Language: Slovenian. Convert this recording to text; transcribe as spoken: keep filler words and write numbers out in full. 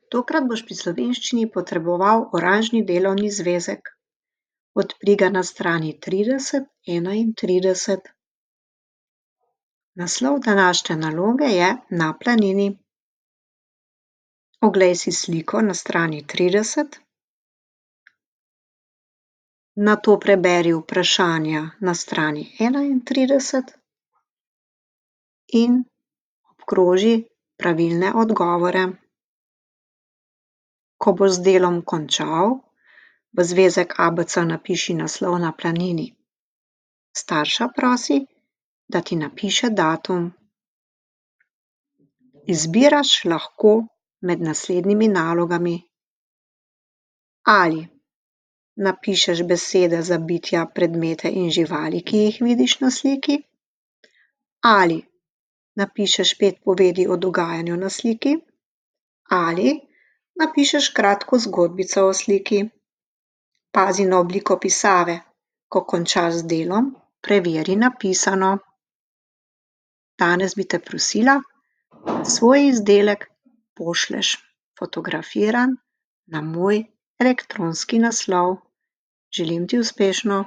Tokrat boš pri slovenščini potreboval oranžni delovni zvezek. Odpri ga na strani trideset, enaintrideset. Naslov današnje naloge je Na planini. Oglej si sliko na strani trideset. Nato preberi vprašanja na strani enaintrideset in obkroži pravilne odgovore. Ko boš z delom končal, v zvezek A B C napiši naslov Na planini. Starša prosi, da ti napiše datum. Izbiraš lahko med naslednjimi nalogami. Ali napišeš besede za bitja, predmete in živali, ki jih vidiš na sliki. Ali napišeš pet povedi o dogajanju na sliki. Ali napišeš kratko zgodbico o sliki. Pazi na obliko pisave. Ko končaš z delom, preveri napisano. Danes bi te prosila, da svoj izdelek pošlješ fotografiran na moj elektronski naslov. Želim ti uspešno.